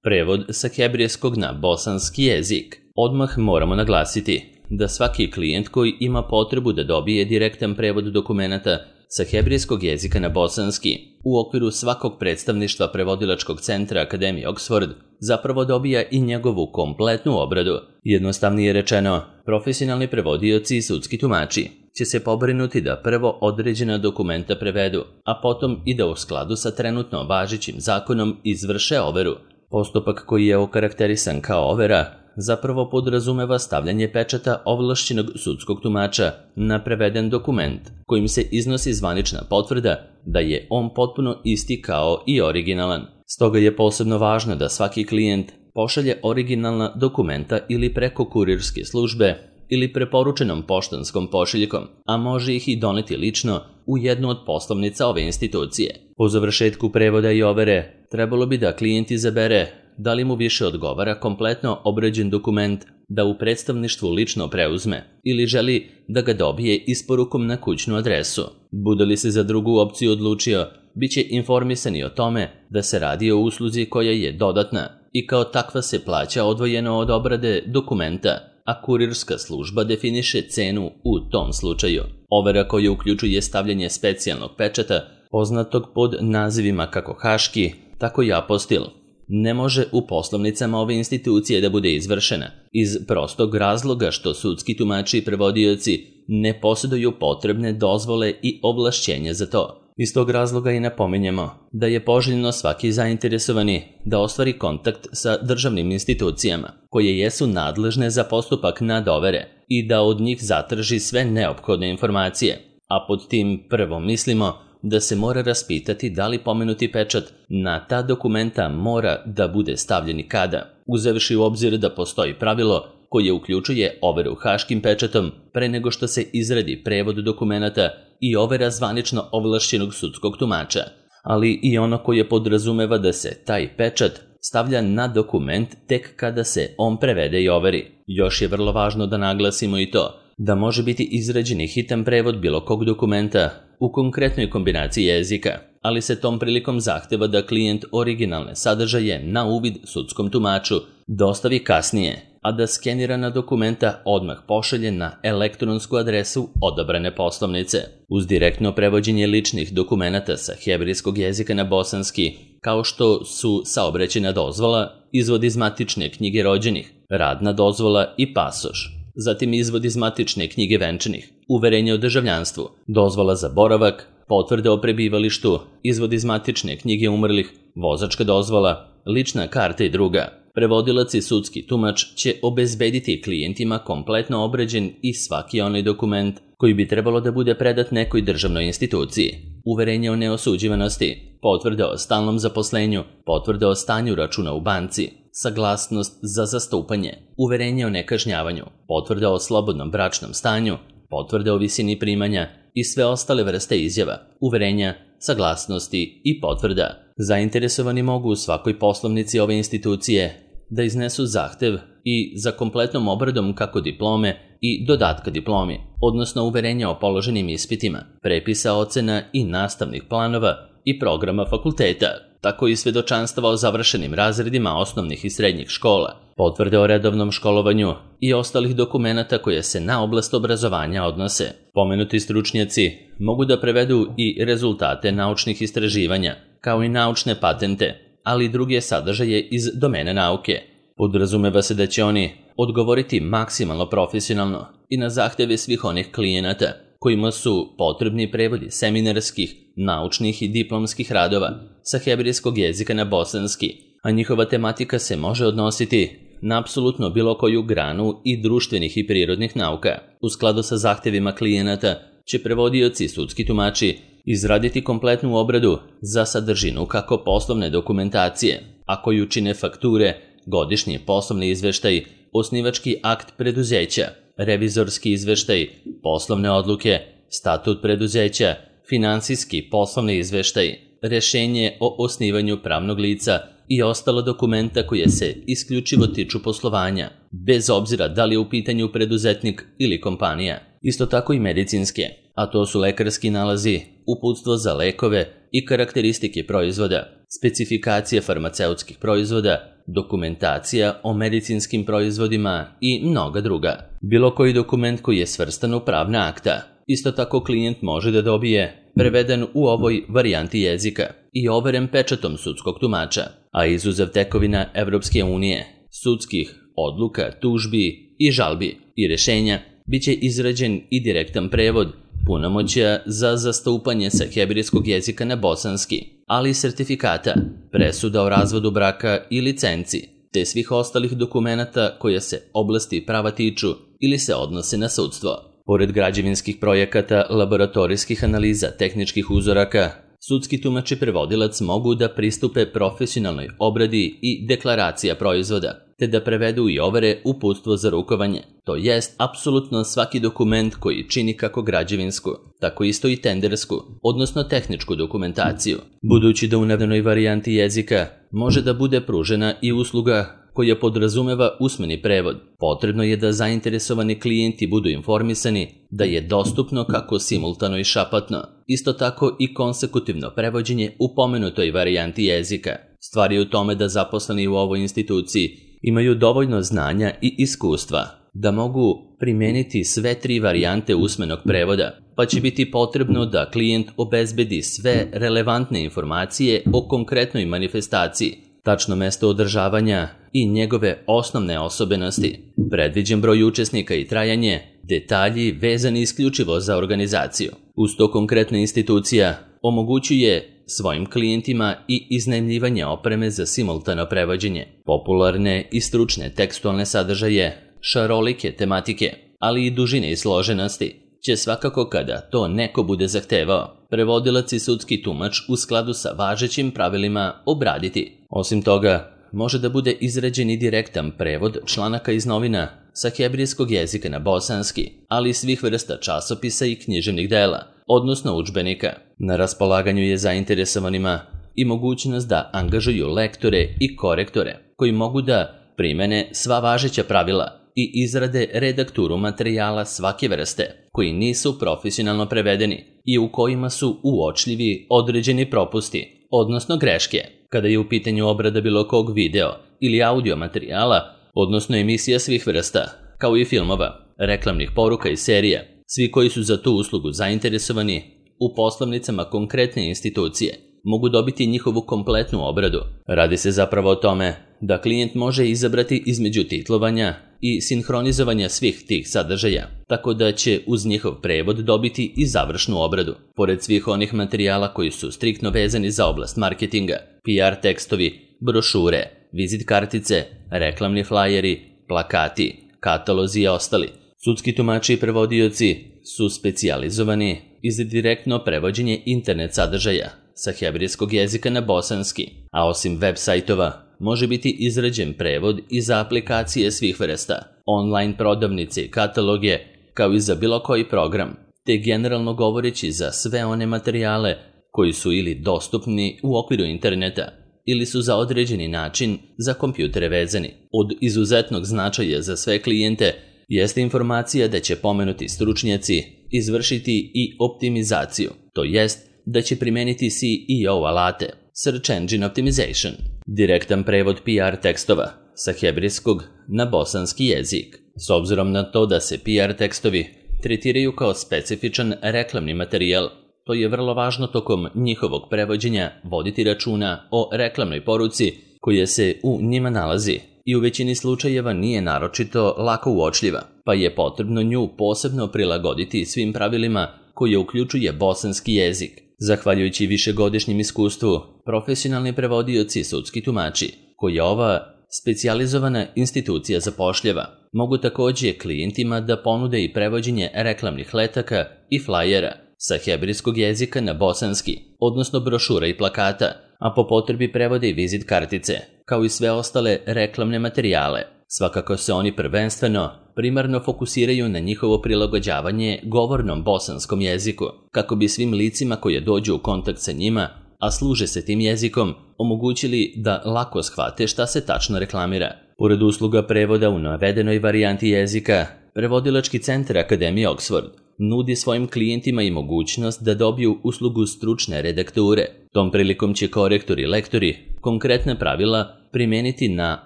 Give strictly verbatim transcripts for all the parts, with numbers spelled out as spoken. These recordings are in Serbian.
Prevod sa hebrejskog na bosanski jezik. Odmah moramo naglasiti da svaki klijent koji ima potrebu da dobije direktan prevod dokumenata sa hebrejskog jezika na bosanski u okviru svakog predstavništva prevodilačkog centra Akademije Oxford zapravo dobija i njegovu kompletnu obradu. Jednostavnije rečeno, profesionalni prevodioci i sudski tumači će se pobrinuti da prvo određena dokumenta prevedu, a potom i da u skladu sa trenutno važećim zakonom izvrše overu. Postupak koji je okarakterisan kao overa zapravo podrazumeva stavljanje pečata ovlašćenog sudskog tumača na preveden dokument, kojim se iznosi zvanična potvrda da je on potpuno isti kao i originalan. Stoga je posebno važno da svaki klijent pošalje originalna dokumenta ili preko kurirske službe ili preporučenom poštanskom pošiljkom, a može ih i doneti lično u jednu od poslovnica ove institucije. Po završetku prevoda i overe, trebalo bi da klijent izabere da li mu više odgovara kompletno obrađen dokument da u predstavništvu lično preuzme ili želi da ga dobije isporukom na kućnu adresu. Bude li se za drugu opciju odlučio, bit će informisani o tome da se radi o usluzi koja je dodatna i kao takva se plaća odvojeno od obrade dokumenta, a kurirska služba definiše cenu u tom slučaju. Overa koja uključuje stavljanje specijalnog pečata, poznatog pod nazivima kako haški, tako i apostil, ne može u poslovnicama ove institucije da bude izvršena iz prostog razloga što sudski tumači i prevodioci ne posjeduju potrebne dozvole i ovlašćenja za to. Iz tog razloga i napominjemo da je poželjno svaki zainteresovani da ostvari kontakt sa državnim institucijama koje jesu nadležne za postupak nadovere i da od njih zatraži sve neophodne informacije, a pod tim prvo mislimo da se mora raspitati da li pomenuti pečat na ta dokumenta mora da bude stavljen i kada, uzevši u obzir da postoji pravilo koje uključuje overu haškim pečatom pre nego što se izradi prevod dokumenata i overa zvanično ovlašćenog sudskog tumača, ali i ono koje podrazumeva da se taj pečat stavlja na dokument tek kada se on prevede i overi. Još je vrlo važno da naglasimo i to da može biti izrađen i hitan prevod bilo kog dokumenta u konkretnoj kombinaciji jezika, ali se tom prilikom zahteva da klijent originalne sadržaje na uvid sudskom tumaču dostavi kasnije, a da skenirana dokumenta odmah pošalje na elektronsku adresu odabrane poslovnice. Uz direktno prevođenje ličnih dokumenata sa hebrejskog jezika na bosanski, kao što su saobraćajna dozvola, izvod iz matične knjige rođenih, radna dozvola i pasoš, zatim izvod iz matične knjige venčanih, uverenje o državljanstvu, dozvola za boravak, potvrde o prebivalištu, izvod iz matične knjige umrlih, vozačka dozvola, lična karta i druga. Prevodilac i sudski tumač će obezbediti klijentima kompletno obrađen i svaki onaj dokument koji bi trebalo da bude predat nekoj državnoj instituciji. Uverenje o neosuđivanosti, potvrde o stalnom zaposlenju, potvrde o stanju računa u banci, saglasnost za zastupanje, uverenje o nekažnjavanju, potvrde o slobodnom bračnom stanju, potvrde o visini primanja i sve ostale vrste izjava, uverenja, saglasnosti i potvrda. Zainteresovani mogu u svakoj poslovnici ove institucije da iznesu zahtev i za kompletnom obradom kako diplome i dodatka diplomi, odnosno uverenja o položenim ispitima, prepisa ocena i nastavnih planova i programa fakulteta, tako i svedočanstva o završenim razredima osnovnih i srednjih škola, potvrde o redovnom školovanju i ostalih dokumenata koje se na oblast obrazovanja odnose. Pomenuti stručnjaci mogu da prevedu i rezultate naučnih istraživanja, kao i naučne patente, ali i druge sadržaje iz domene nauke. Podrazumeva se da će oni odgovoriti maksimalno profesionalno i na zahteve svih onih klijenata kojima su potrebni prevodi seminarskih, naučnih i diplomskih radova sa hebrejskog jezika na bosanski, a njihova tematika se može odnositi na apsolutno bilo koju granu i društvenih i prirodnih nauka. U skladu sa zahtevima klijenata će prevodioci i sudski tumači izraditi kompletnu obradu za sadržinu kako poslovne dokumentacije, a koju čine fakture, godišnji poslovni izveštaj, osnivački akt preduzeća, revizorski izveštaj, poslovne odluke, statut preduzeća, finansijski poslovni izveštaj, rešenje o osnivanju pravnog lica i ostala dokumenta koje se isključivo tiču poslovanja, bez obzira da li je u pitanju preduzetnik ili kompanija. Isto tako i medicinske, a to su lekarski nalazi, uputstvo za lekove i karakteristike proizvoda, specifikacije farmaceutskih proizvoda, dokumentacija o medicinskim proizvodima i mnoga druga. Bilo koji dokument koji je svrstan u pravna akta. Isto tako klijent može da dobije preveden u ovoj varijanti jezika i overen pečatom sudskog tumača, a izuzev tekovina Evropske unije, sudskih odluka, tužbi i žalbi i rešenja, biće izrađen i direktan prevod punomoćja za zastupanje sa hebrejskog jezika na bosanski, ali i sertifikata, presuda o razvodu braka i licenci, te svih ostalih dokumenata koja se oblasti prava tiču ili se odnose na sudstvo. Pored građevinskih projekata, laboratorijskih analiza, tehničkih uzoraka, sudski tumač i prevodilac mogu da pristupe profesionalnoj obradi i deklaracija proizvoda, te da prevedu i overe uputstvo za rukovanje, to jest apsolutno svaki dokument koji čini kako građevinsku, tako isto i tendersku, odnosno tehničku dokumentaciju. Budući da u navedenoj varijanti jezika može da bude pružena i usluga koja podrazumeva usmeni prevod, potrebno je da zainteresovani klijenti budu informisani da je dostupno kako simultano i šapatno, isto tako i konsekutivno prevođenje u pomenutoj varijanti jezika. Stvar je u tome da zaposleni u ovoj instituciji imaju dovoljno znanja i iskustva da mogu primijeniti sve tri varijante usmenog prevoda, pa će biti potrebno da klijent obezbedi sve relevantne informacije o konkretnoj manifestaciji, tačno mesto održavanja i njegove osnovne osobenosti, predviđen broj učesnika i trajanje, detalji vezani isključivo za organizaciju. Uz to konkretna institucija omogućuje svojim klijentima i iznajmljivanje opreme za simultano prevođenje, popularne i stručne tekstualne sadržaje, šarolike tematike, ali i dužine i složenosti, će svakako kada to neko bude zahtevao, prevodilac i sudski tumač u skladu sa važećim pravilima obraditi. Osim toga, može da bude izrađen i direktan prevod članaka iz novina sa hebrejskog jezika na bosanski, ali i svih vrsta časopisa i književnih dela, odnosno udžbenika. Na raspolaganju je zainteresovanima i mogućnost da angažuju lektore i korektore koji mogu da primene sva važeća pravila i izrade redakturu materijala svake vrste koji nisu profesionalno prevedeni i u kojima su uočljivi određeni propusti, odnosno greške, kada je u pitanju obrada bilo kog video ili audio materijala, odnosno emisija svih vrsta, kao i filmova, reklamnih poruka i serija. Svi koji su za tu uslugu zainteresovani u poslovnicama konkretne institucije mogu dobiti njihovu kompletnu obradu. Radi se zapravo o tome da klijent može izabrati između titlovanja i sinhronizovanja svih tih sadržaja, tako da će uz njihov prevod dobiti i završnu obradu. Pored svih onih materijala koji su striktno vezani za oblast marketinga, P R tekstovi, brošure, vizit kartice, reklamni flajeri, plakati, katalozi i ostali, sudski tumači i prevodioci su specijalizovani i za direktno prevođenje internet sadržaja sa hebrejskog jezika na bosanski, a osim web sajtova može biti izrađen prevod i za aplikacije svih vrsta, online prodavnice i kataloge, kao i za bilo koji program, te generalno govoreći za sve one materijale koji su ili dostupni u okviru interneta ili su za određeni način za kompjutere vezani. Od izuzetnog značaja za sve klijente jeste informacija da će pomenuti stručnjaci izvršiti i optimizaciju, to jest da će primeniti C E O alate, Search Engine Optimization, direktan prevod P R tekstova sa hebrejskog na bosanski jezik. S obzirom na to da se P R tekstovi tretiraju kao specifičan reklamni materijal, to je vrlo važno tokom njihovog prevođenja voditi računa o reklamnoj poruci koja se u njima nalazi i u većini slučajeva nije naročito lako uočljiva, pa je potrebno nju posebno prilagoditi svim pravilima koje uključuje bosanski jezik. Zahvaljujući višegodišnjem iskustvu, profesionalni prevodioci i sudski tumači, koje ova specijalizovana institucija zapošljava, mogu također klijentima da ponude i prevođenje reklamnih letaka i flajera sa hebrejskog jezika na bosanski, odnosno brošura i plakata, a po potrebi prevode i vizit kartice, kao i sve ostale reklamne materijale. Svakako se oni prvenstveno primarno fokusiraju na njihovo prilagođavanje govornom bosanskom jeziku, kako bi svim licima koje dođu u kontakt sa njima, a služe se tim jezikom, omogućili da lako shvate šta se tačno reklamira. Pored usluga prevoda u navedenoj varijanti jezika, Prevodilački centar Akademije Oxford nudi svojim klijentima i mogućnost da dobiju uslugu stručne redakture. Tom prilikom će korektori i lektori konkretna pravila primeniti na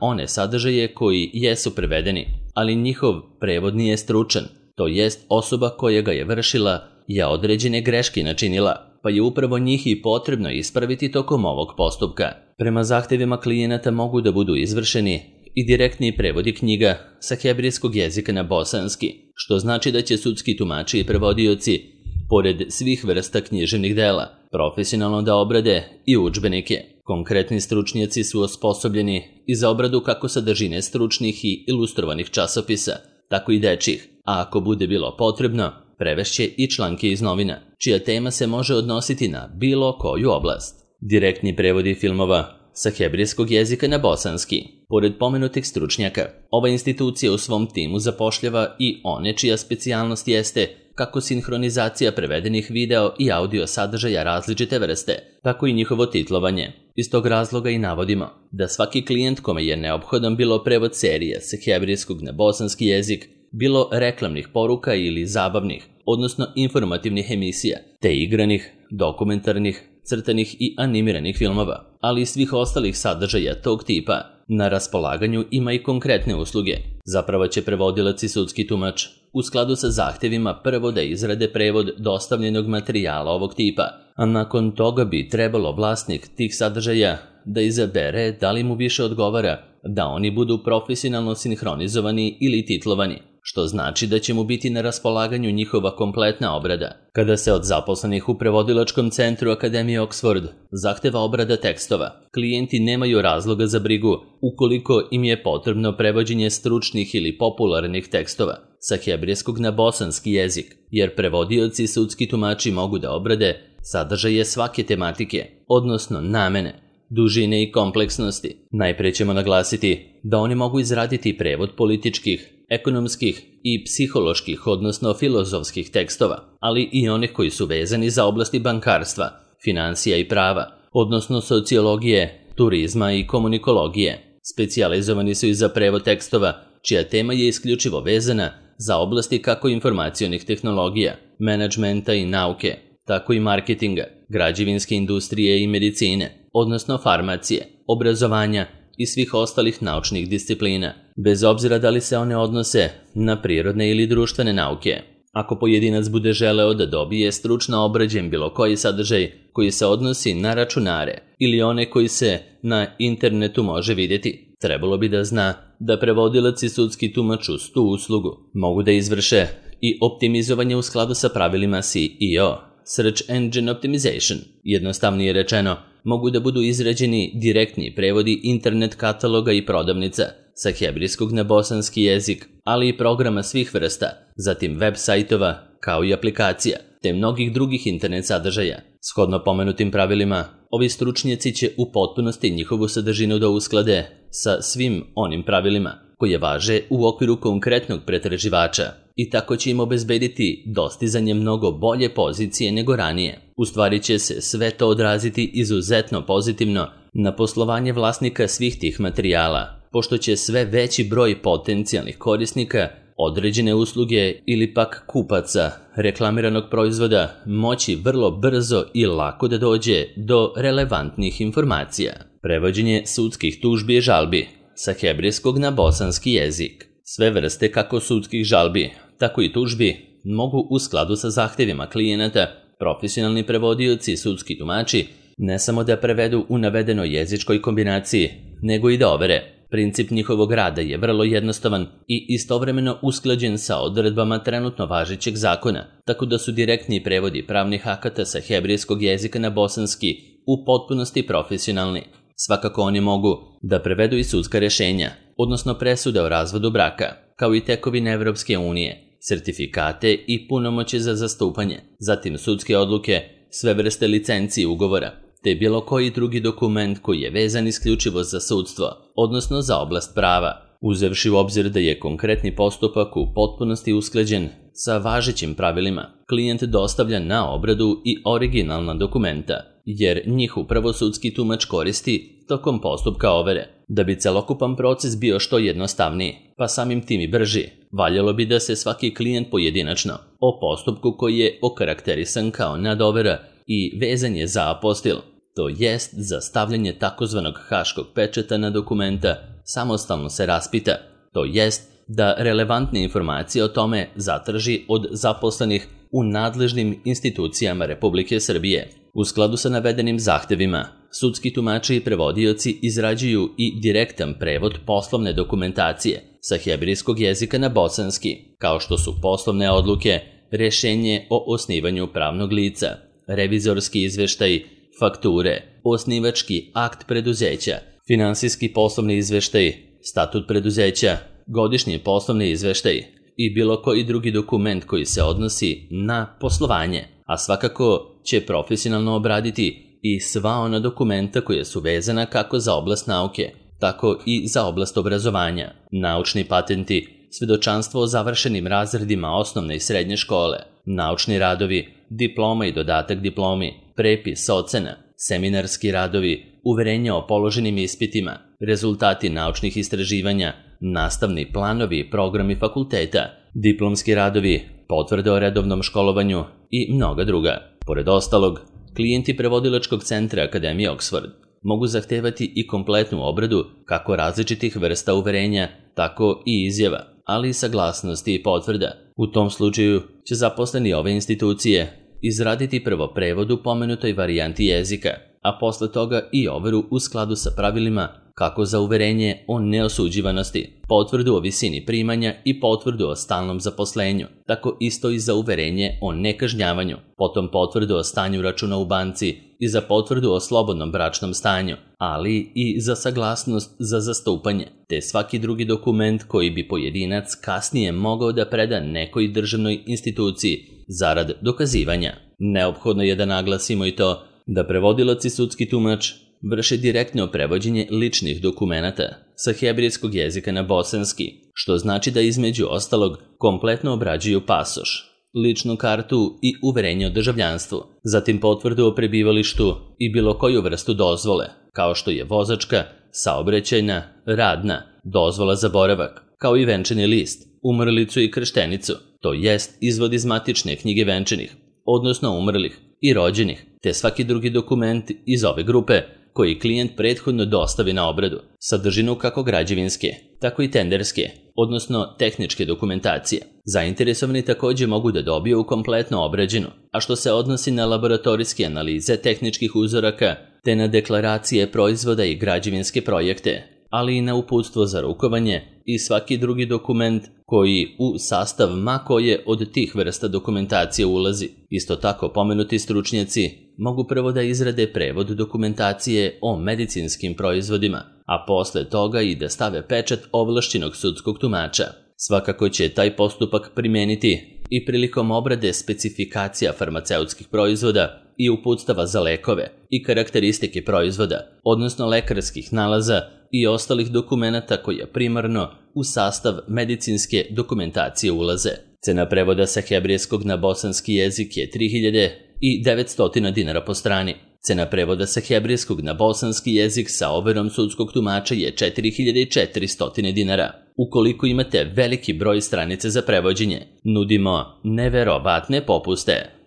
one sadržaje koji jesu prevedeni, ali njihov prevod nije stručan, to jest osoba koja ga je vršila je određene greške načinila, pa je upravo njih i potrebno ispraviti tokom ovog postupka. Prema zahtevima klijenata mogu da budu izvršeni i direktni prevodi knjiga sa hebrejskog jezika na bosanski, što znači da će sudski tumači i prevodioci, pored svih vrsta književnih dela, profesionalno da obrade i udžbenike. Konkretni stručnjaci su osposobljeni i za obradu kako sadržine stručnih i ilustrovanih časopisa, tako i dečjih, a ako bude bilo potrebno, prevešće i članke iz novina, čija tema se može odnositi na bilo koju oblast. Direktni prevodi filmova sa hebrejskog jezika na bosanski. Pored pomenutih stručnjaka, ova institucija u svom timu zapošljava i one čija specijalnost jeste kako sinhronizacija prevedenih video i audio sadržaja različite vrste, tako i njihovo titlovanje. Iz tog razloga i navodimo da svaki klijent kome je neophodan bilo prevod serije sa hebrejskog na bosanski jezik, bilo reklamnih poruka ili zabavnih, odnosno informativnih emisija, te igranih, dokumentarnih, crtanih i animiranih filmova, ali i svih ostalih sadržaja tog tipa, na raspolaganju ima i konkretne usluge. Zapravo će prevodilac i sudski tumač u skladu sa zahtevima prvo da izrade prevod dostavljenog materijala ovog tipa, a nakon toga bi trebalo vlasnik tih sadržaja da izabere da li mu više odgovara da oni budu profesionalno sinhronizovani ili titlovani, što znači da će mu biti na raspolaganju njihova kompletna obrada. Kada se od zaposlenih u prevodilačkom centru Akademije Oxford zahteva obrada tekstova, klijenti nemaju razloga za brigu ukoliko im je potrebno prevođenje stručnih ili popularnih tekstova sa hebrejskog na bosanski jezik, jer prevodioci i sudski tumači mogu da obrade sadržaje svake tematike, odnosno namene, dužine i kompleksnosti. Najpre ćemo naglasiti da oni mogu izraditi prevod političkih, ekonomskih i psiholoških, odnosno filozofskih tekstova, ali i onih koji su vezani za oblasti bankarstva, finansija i prava, odnosno sociologije, turizma i komunikologije. Specijalizovani su i za prevod tekstova, čija tema je isključivo vezana za oblasti kako informacionih tehnologija, menadžmenta i nauke, tako i marketinga, građevinske industrije i medicine, odnosno farmacije, obrazovanja i svih ostalih naučnih disciplina, bez obzira da li se one odnose na prirodne ili društvene nauke. Ako pojedinac bude želeo da dobije stručno obrađen bilo koji sadržaj koji se odnosi na računare ili one koji se na internetu može vidjeti, trebalo bi da zna da prevodilac i sudski tumač uz tu uslugu mogu da izvrše i optimizovanje u skladu sa pravilima S E O, Search Engine Optimization. Jednostavnije rečeno, mogu da budu izrađeni direktni prevodi internet kataloga i prodavnica sa hebrejskog na bosanski jezik, ali i programa svih vrsta, zatim web sajtova, kao i aplikacija, te mnogih drugih internet sadržaja. Shodno pomenutim pravilima, ovi stručnjaci će u potpunosti njihovu sadržinu da usklade sa svim onim pravilima koje važe u okviru konkretnog pretraživača i tako će im obezbediti dostizanje mnogo bolje pozicije nego ranije. U stvari će se sve to odraziti izuzetno pozitivno na poslovanje vlasnika svih tih materijala, pošto će sve veći broj potencijalnih korisnika određene usluge ili pak kupaca reklamiranog proizvoda moći vrlo brzo i lako da dođe do relevantnih informacija. Prevođenje sudskih tužbi i žalbi sa hebrejskog na bosanski jezik. Sve vrste kako sudskih žalbi, tako i tužbi mogu u skladu sa zahtevima klijenata, profesionalni prevodioci i sudski tumači ne samo da prevedu u navedenoj jezičkoj kombinaciji, nego i da overe. Princip njihovog rada je vrlo jednostavan i istovremeno usklađen sa odredbama trenutno važećeg zakona, tako da su direktni prevodi pravnih akata sa hebrejskog jezika na bosanski u potpunosti profesionalni. Svakako oni mogu da prevedu i sudska rešenja, odnosno presude o razvodu braka, kao i tekovine Evropske unije, sertifikate i punomoći za zastupanje, zatim sudske odluke, sve vrste licenci i ugovora, te bilo koji drugi dokument koji je vezan isključivo za sudstvo, odnosno za oblast prava, uzevši u obzir da je konkretni postupak u potpunosti usklađen sa važećim pravilima. Klijent dostavlja na obradu i originalna dokumenta, jer njih upravo sudski tumač koristi tokom postupka overe. Da bi celokupan proces bio što jednostavniji, pa samim tim i brži, valjalo bi da se svaki klijent pojedinačno o postupku koji je okarakterisan kao nadovera i vezan je za apostil, to jest za stavljanje takozvanog haškog pečata na dokumenta, samostalno se raspita, to jest da relevantne informacije o tome zatraži od zaposlenih u nadležnim institucijama Republike Srbije. U skladu sa navedenim zahtevima, sudski tumači i prevodioci izrađuju i direktan prevod poslovne dokumentacije sa hebrejskog jezika na bosanski, kao što su poslovne odluke, rešenje o osnivanju pravnog lica, revizorski izveštaj, fakture, osnivački akt preduzeća, finansijski poslovni izveštaj, statut preduzeća, godišnji poslovni izveštaj i bilo koji drugi dokument koji se odnosi na poslovanje, a svakako će profesionalno obraditi i sva ona dokumenta koja su vezana kako za oblast nauke, tako i za oblast obrazovanja, naučni patenti, svedočanstvo o završenim razredima osnovne i srednje škole, naučni radovi, diploma i dodatak diplomi, prepis ocena, seminarski radovi, uverenja o položenim ispitima, rezultati naučnih istraživanja, nastavni planovi i programi fakulteta, diplomski radovi, potvrde o redovnom školovanju i mnoga druga. Pored ostalog, klijenti prevodilačkog centra Akademije Oxford mogu zahtevati i kompletnu obradu kako različitih vrsta uverenja, tako i izjava, ali i saglasnosti i potvrda. U tom slučaju će zaposleni ove institucije izraditi prvo prevod u pomenutoj varijanti jezika, a posle toga i overu u skladu sa pravilima kako za uverenje o neosuđivanosti, potvrdu o visini primanja i potvrdu o stalnom zaposlenju, tako isto i za uverenje o nekažnjavanju, potom potvrdu o stanju računa u banci i za potvrdu o slobodnom bračnom stanju, ali i za saglasnost za zastupanje, te svaki drugi dokument koji bi pojedinac kasnije mogao da preda nekoj državnoj instituciji zarad dokazivanja. Neophodno je da naglasimo i to da prevodilac i sudski tumač vrše direktno prevođenje ličnih dokumenata sa hebrejskog jezika na bosanski, što znači da između ostalog kompletno obrađuju pasoš, ličnu kartu i uverenje o državljanstvu, zatim potvrdu o prebivalištu i bilo koju vrstu dozvole, kao što je vozačka, saobraćajna, radna, dozvola za boravak, kao i venčani list, umrlicu i krštenicu, to jest izvod iz matične knjige venčanih, odnosno umrlih i rođenih, te svaki drugi dokument iz ove grupe koji klijent prethodno dostavi na obradu, sadržinu kako građevinske, tako i tenderske, odnosno tehničke dokumentacije. Zainteresovani također mogu da dobiju kompletno obrađenu, a što se odnosi na laboratorijske analize tehničkih uzoraka, te na deklaracije proizvoda i građevinske projekte, ali i na uputstvo za rukovanje i svaki drugi dokument koji u sastav ma koje od tih vrsta dokumentacije ulazi. Isto tako pomenuti stručnjaci mogu prvo da izrade prevod dokumentacije o medicinskim proizvodima, a posle toga i da stave pečat ovlašćenog sudskog tumača. Svakako će taj postupak primeniti i prilikom obrade specifikacija farmaceutskih proizvoda i uputstava za lekove i karakteristike proizvoda, odnosno lekarskih nalaza i ostalih dokumenata koja primarno u sastav medicinske dokumentacije ulaze. Cena prevoda sa hebrejskog na bosanski jezik je tri hiljade devetsto dinara po strani. Cena prevoda sa hebrejskog na bosanski jezik sa overom sudskog tumača je četiri hiljade četiristo dinara. Ukoliko imate veliki broj stranice za prevođenje, nudimo neverovatne popuste.